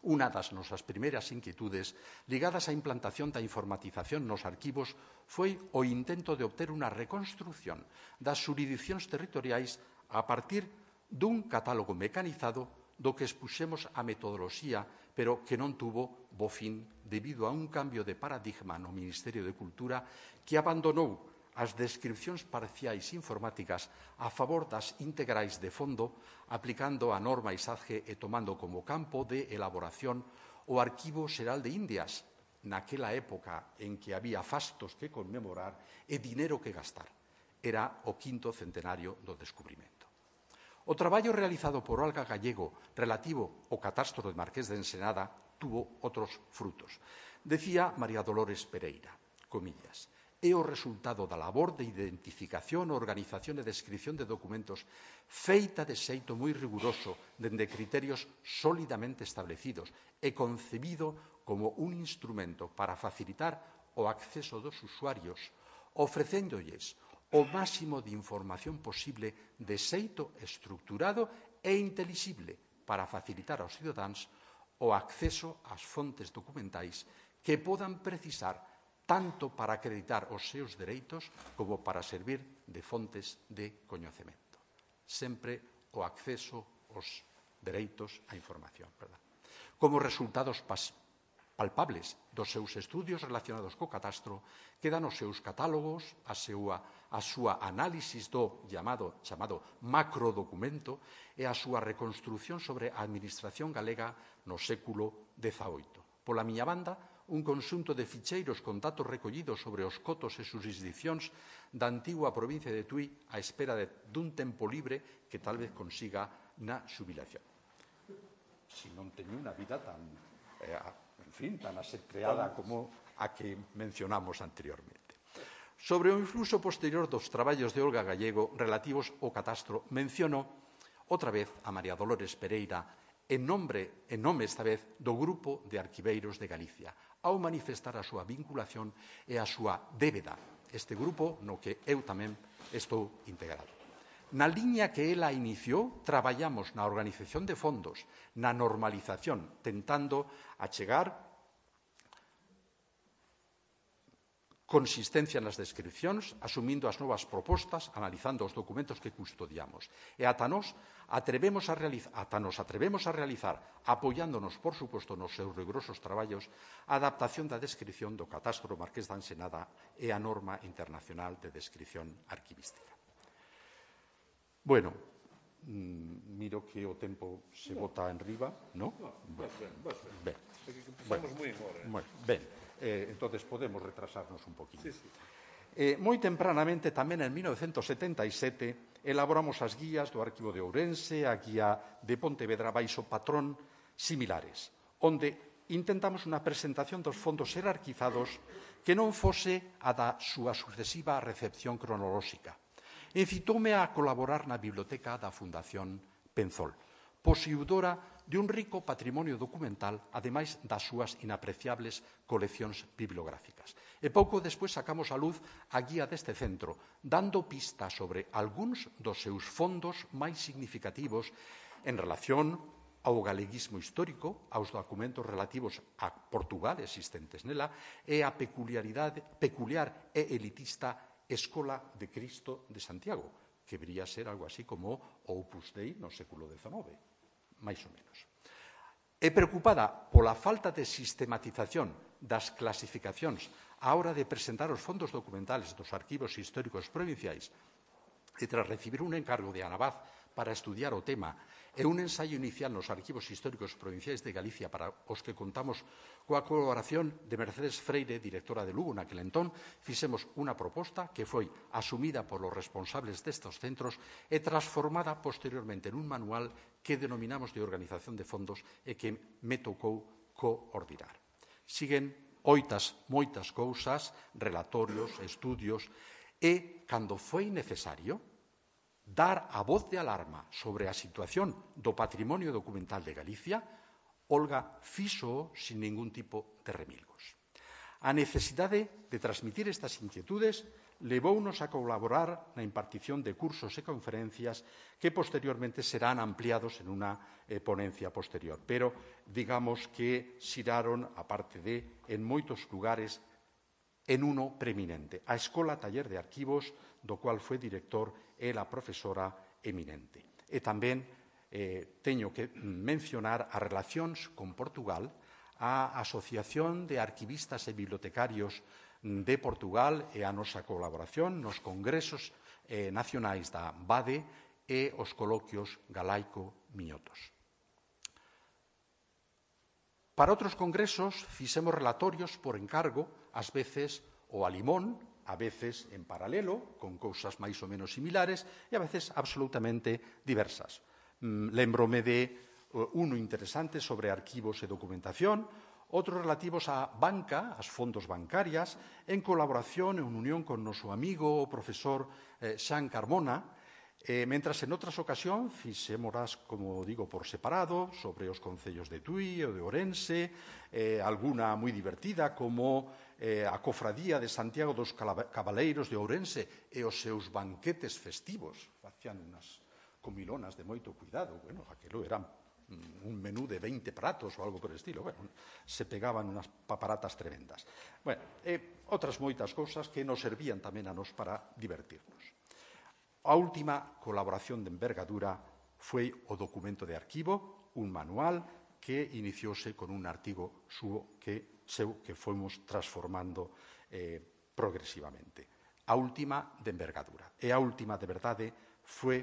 Unha das nosas primeiras inquietudes ligadas á implantación da informatización nos arquivos foi o intento de obter unha reconstrución das xurisdicións territoriais a partir dun catálogo mecanizado do que expuxemos a metodoloxía, pero que non tuvo bo fin debido a un cambio de paradigma no Ministerio de Cultura que abandonou as descripcións parciais informáticas a favor das integrais de fondo, aplicando a norma ISAGE e tomando como campo de elaboración o Arquivo Xeral de Indias, naquela época en que había fastos que conmemorar e dinero que gastar. Era o 5º centenario do descubrimento. O traballo realizado por Olga Gallego relativo ao catastro de Marqués de Ensenada tuvo outros frutos. Decía María Dolores Pereira, comillas, é o resultado da labor de identificación, organización e descripción de documentos feita de xeito moi riguroso dende criterios sólidamente establecidos e concebido como un instrumento para facilitar o acceso dos usuarios, ofrecéndolles o máximo de información posible de xeito estructurado e intelixible para facilitar aos cidadáns o acceso ás fontes documentais que podan precisar tanto para acreditar os seus dereitos como para servir de fontes de coñecemento. Sempre o acceso aos dereitos á información. Como resultados palpables dos seus estudios relacionados co catastro, quedan os seus catálogos, a súa análisis do chamado macrodocumento e a súa reconstrución sobre a administración galega no século XVIII. Pola miña banda, un conxunto de ficheiros con datos recollidos sobre os cotos e xurisdiccións da antigua provincia de Tui á espera dun tempo libre que tal vez consiga na xubilación. Si non teño unha vida tan asetreada como a que mencionamos anteriormente. Sobre o influxo posterior dos traballos de Olga Gallego relativos ao catastro, menciono outra vez a María Dolores Pereira en nome esta vez do Grupo de Arquiveiros de Galicia, ao manifestar a súa vinculación e a súa débeda, este grupo no que eu tamén estou integrado. Na liña que ela iniciou, traballamos na organización de fondos, na normalización, tentando achegar consistencia nas descripcións, asumindo as novas propostas, analizando os documentos que custodiamos. E ata nos atrevemos a realizar, apoiándonos, por suposto, nos seus rigurosos traballos, a adaptación da descripción do catastro Marqués da Ensenada e a norma internacional de descripción arquivística. Bueno, miro que o tempo se bota en riba, ¿no? Ben. Empezamos moi en hora. Ben, entonces podemos retrasarnos un poquinho. Moi tempranamente, tamén en 1977, elaboramos as guías do Arquivo de Ourense, a guía de Pontevedra baixo patrón similares, onde intentamos unha presentación dos fondos xerarquizados que non fose a da súa sucesiva recepción cronolóxica. Incitoume a colaborar na biblioteca da Fundación Penzol, posuidora de un rico patrimonio documental, ademais das súas inapreciables coleccións bibliográficas. E pouco despois sacamos á luz a guía deste centro, dando pista sobre algúns dos seus fondos máis significativos en relación ao galeguismo histórico, aos documentos relativos a Portugal existentes nela e a peculiar e elitista Escola de Cristo de Santiago, que debería ser algo así como o Opus Dei no século XIX, máis ou menos. E preocupada pola falta de sistematización das clasificacións á hora de presentar os fondos documentales dos arquivos históricos provinciais e tras recibir un encargo de Anabaz para estudiar o tema e un ensaio inicial nos arquivos históricos provinciais de Galicia para os que contamos coa colaboración de Mercedes Freire, directora de Lugo naquel entón, fixemos unha proposta que foi asumida polos responsables destes centros e transformada posteriormente en un manual que denominamos de organización de fondos e que me tocou coordinar. Siguen moitas cousas, relatorios, estudios e, cando foi necesario, dar a voz de alarma sobre a situación do patrimonio documental de Galicia, Olga fixo sin ningún tipo de remilgos. A necesidade de transmitir estas inquietudes levounos a colaborar na impartición de cursos e conferencias que posteriormente serán ampliados en unha ponencia posterior. Pero, digamos que xiraron, aparte de, en moitos lugares, en uno preeminente, a Escola Taller de Arquivos, do cual foi director e la profesora eminente. E tamén teño que mencionar as relacións con Portugal, a Asociación de Arquivistas e Bibliotecarios de Portugal e a nosa colaboración nos congresos nacionais da BADE e os coloquios galaico-miñotos. Para outros congresos fixemos relatorios por encargo, ás veces, ou a Limón, a veces en paralelo, con cousas máis ou menos similares, e a veces absolutamente diversas. Lémbrome de uno interesante sobre arquivos e documentación, outros relativos á banca, ás fondos bancarias, en colaboración e en unión con noso amigo o profesor Xan Carmona, mentras en outras ocasións fixémoras, como digo, por separado, sobre os concellos de Tui ou de Ourense, alguna moi divertida, como a Cofradía de Santiago dos Cabaleiros de Ourense e os seus banquetes festivos. Facían unhas comilonas de moito cuidado. Bueno, aquilo era un menú de 20 pratos ou algo por estilo. Bueno, se pegaban unhas paparatas tremendas. Bueno, outras moitas cousas que nos servían tamén a nos para divertirnos. A última colaboración de envergadura foi o documento de arquivo, un manual que iniciouse con un artigo que fomos transformando progresivamente. A última de envergadura. E a última, de verdade, foi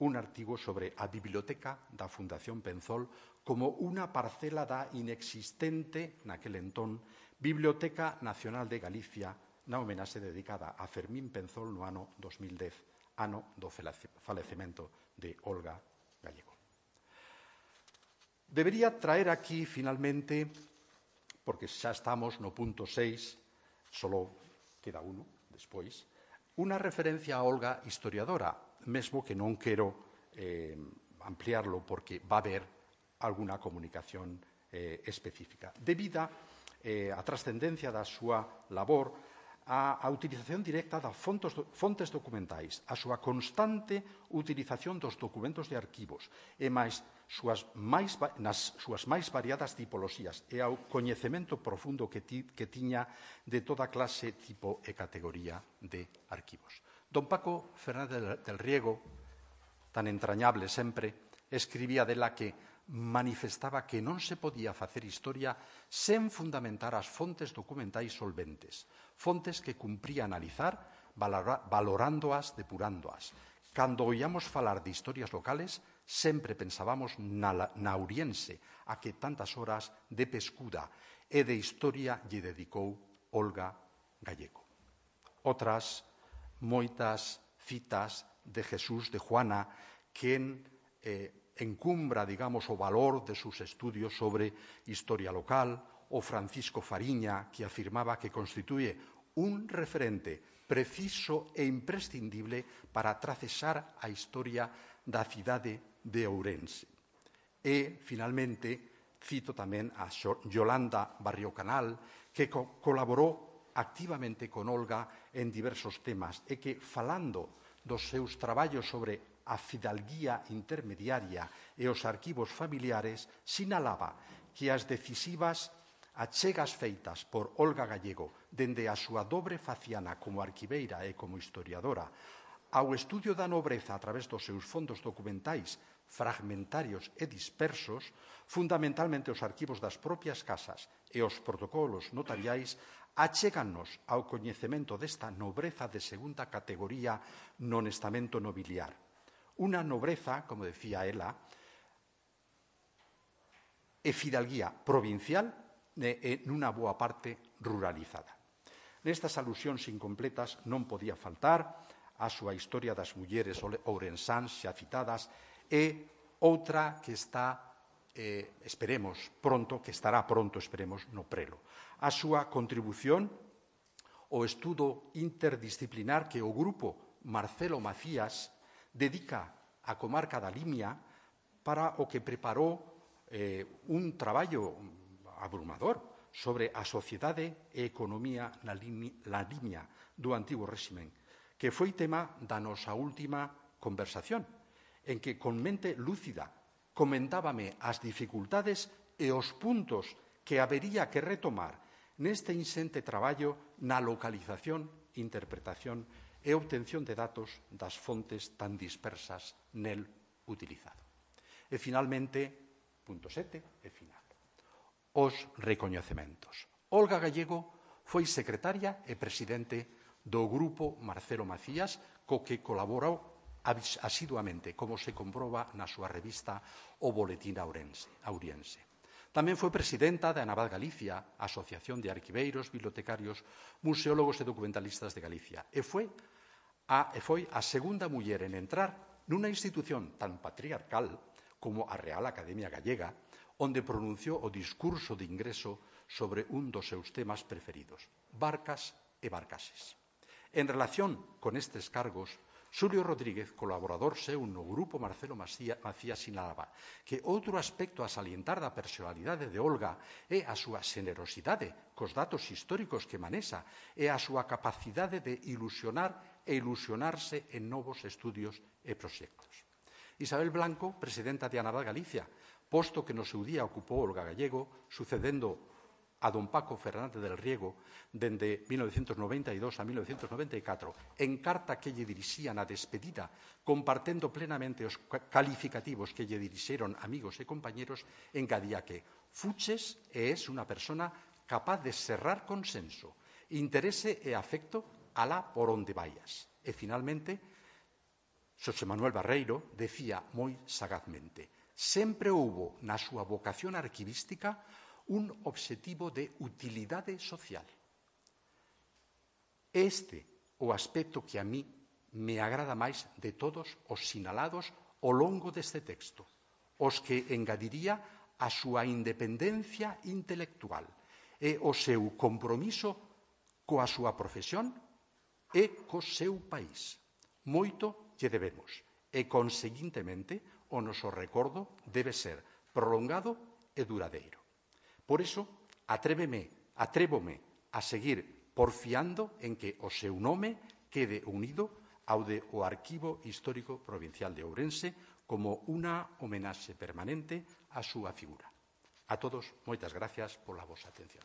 un artigo sobre a biblioteca da Fundación Penzol como unha parcela da inexistente, naquel entón, Biblioteca Nacional de Galicia, na homenaxe dedicada a Fermín Penzol no ano 2010, ano do falecemento de Olga Gallego. Debería traer aquí, finalmente, porque xa estamos no punto 6, solo queda uno despois, unha referencia a Olga historiadora, mesmo que non quero ampliarlo porque va a haber alguna comunicación específica. Debida a trascendencia da súa labor, a utilización directa das fontes documentais, a súa constante utilización dos documentos de arquivos e nas súas máis variadas tipoloxías e ao coñecemento profundo que tiña de toda clase, tipo e categoría de arquivos. Don Paco Fernández del Riego, tan entrañable sempre, escribía dela que manifestaba que non se podía facer historia sen fundamentar as fontes documentais solventes, fontes que cumpría analizar, valorándoas, depurándoas. Cando oíamos falar de historias locales, sempre pensábamos na Ouriense, a que tantas horas de pescuda e de historia lle dedicou Olga Gallego. Outras moitas citas de Jesús de Juana que encumbra, digamos, o valor de sus estudios sobre historia local, o Francisco Fariña, que afirmaba que constituye un referente preciso e imprescindible para tracesar a historia da cidade de Ourense. E, finalmente, cito tamén a Yolanda Barrio Canal, que colaborou activamente con Olga en diversos temas e que, falando dos seus traballos sobre a fidalguía intermediaria e os arquivos familiares, sinalaba que as decisivas achegas feitas por Olga Gallego dende a súa dobre faciana como arquiveira e como historiadora ao estudio da nobreza a través dos seus fondos documentais fragmentarios e dispersos, fundamentalmente os arquivos das propias casas e os protocolos notariais, achégannos ao coñecemento desta nobreza de segunda categoría no estamento nobiliar. Unha nobreza, como decía ela, e fidalguía provincial e nunha boa parte ruralizada. Nestas alusións incompletas non podía faltar a súa historia das mulleres ourensáns xa citadas e outra que está, esperemos pronto, que estará pronto, esperemos, no prelo. A súa contribución ao estudo interdisciplinar que o grupo Marcelo Macías dedica á comarca da Limia, para o que preparou un traballo abrumador sobre a sociedade e economía na Limia do antigo réximen, que foi tema da nosa última conversación, en que con mente lúcida comentábame as dificultades e os puntos que habería que retomar neste insente traballo na localización, interpretación e obtención de datos das fontes tan dispersas nel utilizado. E, finalmente, punto 7, e final, os recoñecementos. Olga Gallego foi secretaria e presidente do grupo Marcelo Macías, co que colaborou asiduamente, como se comproba na súa revista O Boletín Auriense. Tamén foi presidenta da Anabad Galicia, Asociación de Arquiveiros, Bibliotecarios, Museólogos e Documentalistas de Galicia, e foi a segunda muller en entrar nunha institución tan patriarcal como a Real Academia Gallega, onde pronunciou o discurso de ingreso sobre un dos seus temas preferidos, barcas e barcases. En relación con estes cargos, Xulio Rodríguez, colaborador seu no grupo Marcelo Macías, sinalaba que outro aspecto a salientar da personalidade de Olga é a súa xenerosidade cos datos históricos que manexa e a súa capacidade de ilusionar e ilusionarse en novos estudios e proxectos. Isabel Blanco, presidenta de Anabad Galicia, posto que no seu día ocupou Olga Gallego, sucedendo a don Paco Fernández del Riego dende 1992 a 1994, en carta que lle dirixía na despedida, compartendo plenamente os calificativos que lle dirixeron amigos e compañeros, engadía que fuches e es unha persona capaz de serrar consenso, interese e afecto alá por onde vayas. E, finalmente, Xosé Manuel Barreiro decía moi sagazmente: sempre houbo na súa vocación arquivística un obxectivo de utilidade social. Este o aspecto que a mí me agrada máis de todos os sinalados ao longo deste texto, os que engadiría a súa independencia intelectual e o seu compromiso coa súa profesión e co seu país. Moito lle debemos e, conseguintemente, o noso recordo debe ser prolongado e duradeiro. Por iso, atrévome a seguir porfiando en que o seu nome quede unido ao de o Arquivo Histórico Provincial de Ourense como unha homenaxe permanente á súa figura. A todos, moitas gracias pola vosa atención.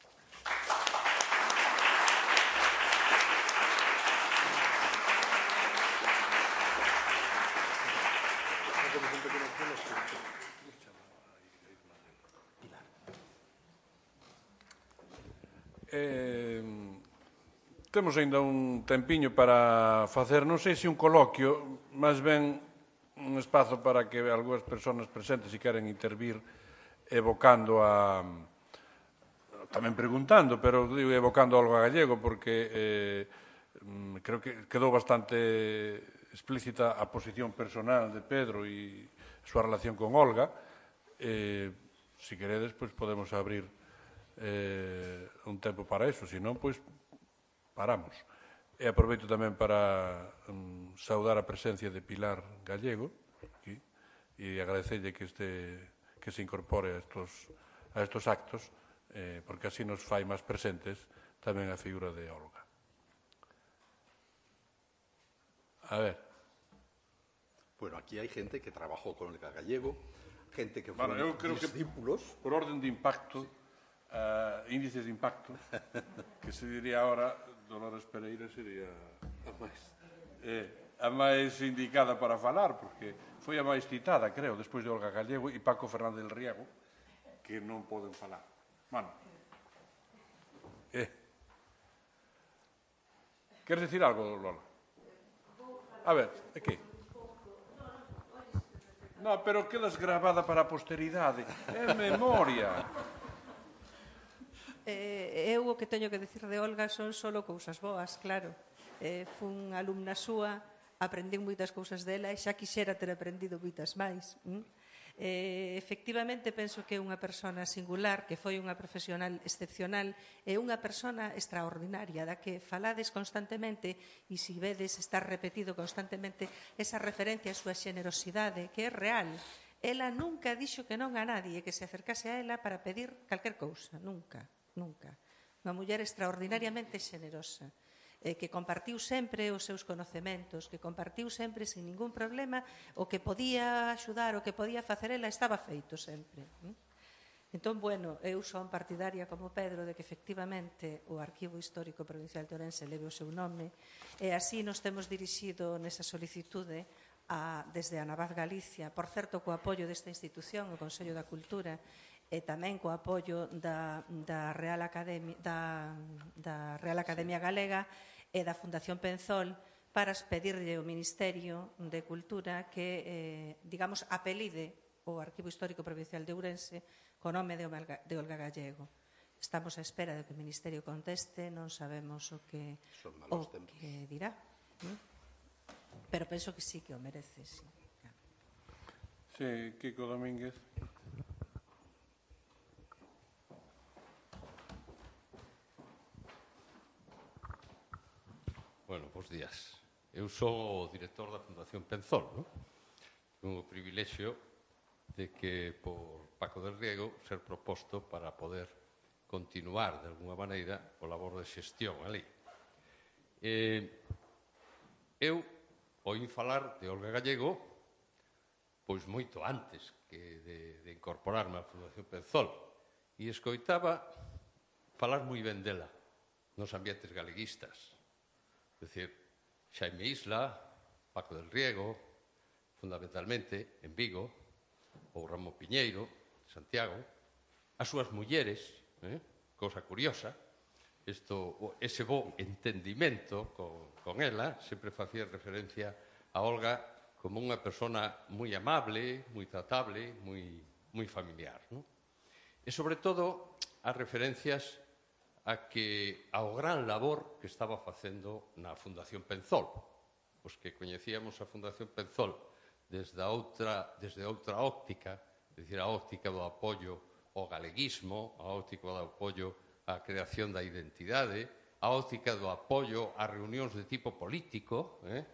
Temos ainda un tempiño para facer, non sei se un coloquio, máis ben un espazo para que algunhas persoas presentes, se queren intervir, evocando a... tamén preguntando, pero digo evocando algo a Gallego, porque creo que quedou bastante explícita a posición personal de Pedro e a súa relación con Olga. Se queredes, pois podemos abrir un tempo para eso, se non, pois paramos. E aproveito tamén para saudar a presencia de Pilar Gallego aquí, e agradecerlle que se incorpore a estos actos, porque así nos fai máis presentes tamén a figura de Olga. A ver. Bueno, aquí hai gente que trabajou con Olga Gallego, gente que foi discípulos. Por orden de impacto, índices de impacto, que se diría ahora, Dolores Pereira sería a máis indicada para falar, porque foi a máis citada, creo, despois de Olga Gallego e Paco Fernández del Riego, que non poden falar. Bueno. Queres dicir algo, Lola? A ver, é que? Non, pero quedas grabada para a posteridade. É memoria. Eu o que teño que dicir de Olga son só cousas boas, claro. Fun alumna súa, aprendín moitas cousas dela e xa quixera ter aprendido moitas máis. Efectivamente, penso que é unha persona singular, que foi unha profesional excepcional e unha persona extraordinaria, da que falades constantemente e se vedes estar repetido constantemente esa referencia á súa xenerosidade, que é real. Ela nunca dixo que non a nadie que se acercase a ela para pedir calquer cousa, nunca. Nunca. Unha muller extraordinariamente xenerosa, que compartiu sempre os seus conocementos, que compartiu sempre sin ningún problema o que podía axudar, o que podía facer ela, estaba feito sempre. Entón, bueno, eu son partidaria como Pedro de que efectivamente o Arquivo Histórico Provincial de Ourense leve o seu nome e así nos temos dirixido nesa solicitude desde a Anabad Galicia, por certo, co apoio desta institución, o Consello da Cultura, e tamén co apoio da Real Academia Galega e da Fundación Penzol para pedirlle ao Ministerio de Cultura que, digamos, apelide o Arquivo Histórico Provincial de Ourense co nome de Olga Gallego. Estamos á espera de que o Ministerio conteste, non sabemos o que dirá. Pero penso que sí que o merece, sí. Sí, Kiko Domínguez. Bueno, bons días. Eu sou o director da Fundación Penzol, non? Tengo o privilexio de que por Paco del Riego ser proposto para poder continuar de alguna maneira o labor de xestión ali. Eu oín falar de Olga Gallego pois moito antes que de incorporarme á Fundación Penzol e escoitaba falar moi ben dela nos ambientes galeguistas. É dicir, Xaime Isla, Paco del Riego, fundamentalmente en Vigo, ou Ramón Piñeiro, Santiago, as súas mulleres, cousa curiosa, ese bo entendimento con ela, sempre facía referencia a Olga como unha persona moi amable, moi tratable, moi familiar. E, sobre todo, as referencias ao gran labor que estaba facendo na Fundación Penzol. Os que coñecíamos a Fundación Penzol desde outra óptica, é dicir, a óptica do apoio ao galeguismo, a óptica do apoio á creación da identidade, a óptica do apoio ás reunións de tipo político, e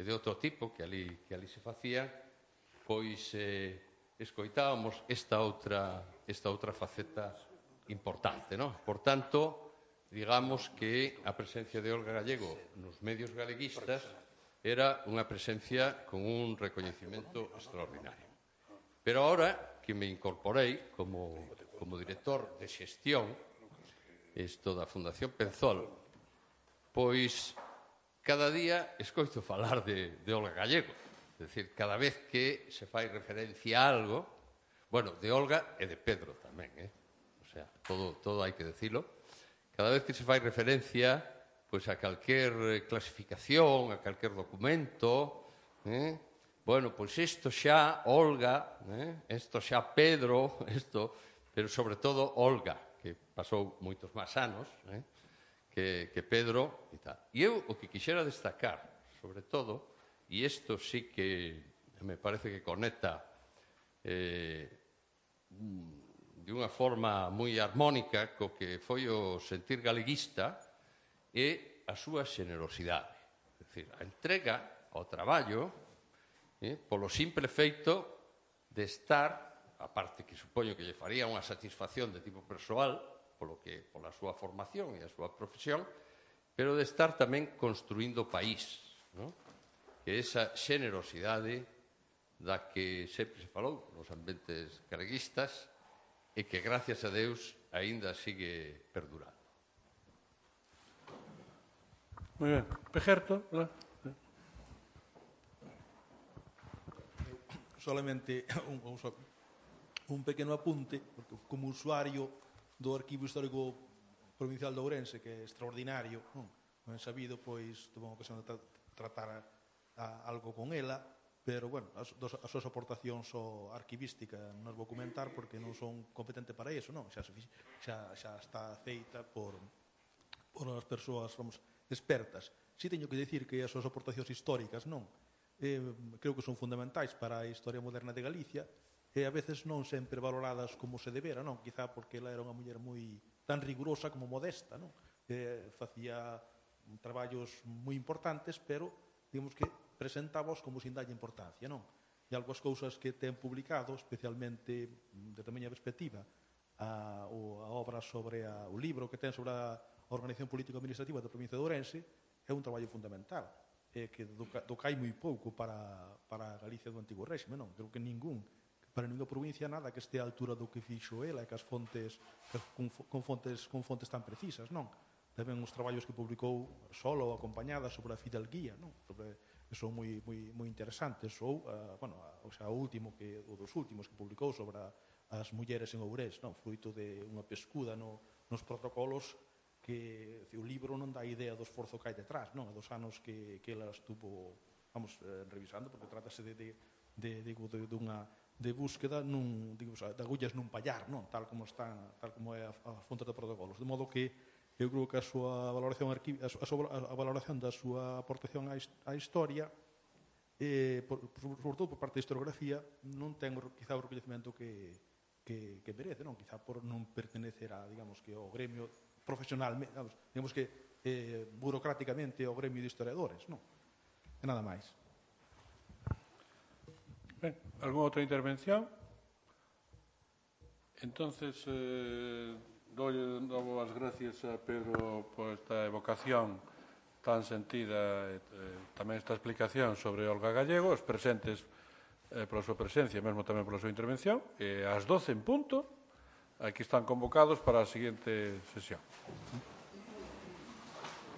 de outro tipo que ali se facían, pois escoitábamos esta outra faceta importante, non? Por tanto, digamos que a presencia de Olga Gallego nos medios galeguistas era unha presencia con un recoñecemento extraordinario. Pero ahora que me incorporei como director de xestión da Fundación Penzol, pois cada día escoito falar de Olga Gallego. É dicir, cada vez que se fai referencia a algo, bueno, de Olga e de Pedro tamén, o sea, todo hai que decilo. Cada vez que se fai referencia pois a calquer clasificación, a calquer documento, bueno, pois isto xa Olga, isto xa Pedro, pero sobre todo Olga, que pasou moitos máis anos, que Pedro e tal. E eu o que quixera destacar, sobre todo, e isto sí que me parece que conecta de unha forma moi armónica co que foi o sentir galeguista, é a súa xenerosidade. É dicir, a entrega ao traballo polo simple feito de estar, a parte que supoño que lle faría unha satisfacción de tipo persoal, pola súa formación e a súa profesión, pero de estar tamén construindo o país, que esa xenerosidade da que sempre se falou nos ambientes galeguistas e que, gracias a Deus, aínda sigue perdurando. Moi ben. Pejerto, ¿verdad? Solamente un pequeno apunte, porque como usuario do Arquivo Histórico Provincial de Ourense, que é extraordinario, non é sabido, pois tuve unha ocasión de tratar algo con ela, pero, bueno, as súas aportacións ao arquivística non as vou comentar porque non son competente para iso, non? Xa está feita por as persoas, vamos, expertas. Si teño que dicir que as súas aportacións históricas, non? Creo que son fundamentais para a historia moderna de Galicia, e a veces non sempre valoradas como se debera, non? Quizá porque ela era unha muller moi tan rigurosa como modesta, non? Facía traballos moi importantes, pero, digamos que presentábaos como sin dalle importancia, non? E algunhas cousas que ten publicado, especialmente desde a miña perspectiva, a obra sobre o libro que ten sobre a organización político-administrativa da provincia de Ourense, é un traballo fundamental, que docai moi pouco para a Galicia do Antigo Réxime, non? Creo que para ninguna provincia nada que este á altura do que fixo ela e que as fontes con fontes tan precisas, non? Tamén os traballos que publicou solo ou acompañada sobre a fidalguía, non? Son moi interesantes, ou o último dos últimos que publicou sobre as mulleres en Ourés, non? Fruito de unha pescuda nos protocolos que o libro non dá idea do esforzo que hai detrás, non? Dos anos que ela estuvo, revisando, porque trátase de búsqueda de agullas nun pallar, non? Tal como é a fonte de protocolos. De modo que eu creo que a súa valoración da súa aportación á historia, sobre todo por parte da historiografía, non ten quizá o recoñecemento que merece, non? Quizá por non pertenecer a, digamos, que ao gremio profesional, digamos que burocráticamente ao gremio de historiadores, non? E nada máis. Ben, algunha outra intervención? Entonces, dou as gracias a Pedro por esta evocación tan sentida e tamén esta explicación sobre Olga Gallego, os presentes pola súa presencia, mesmo tamén pola súa intervención, e ás 12 en punto, aquí están convocados para a seguinte sesión.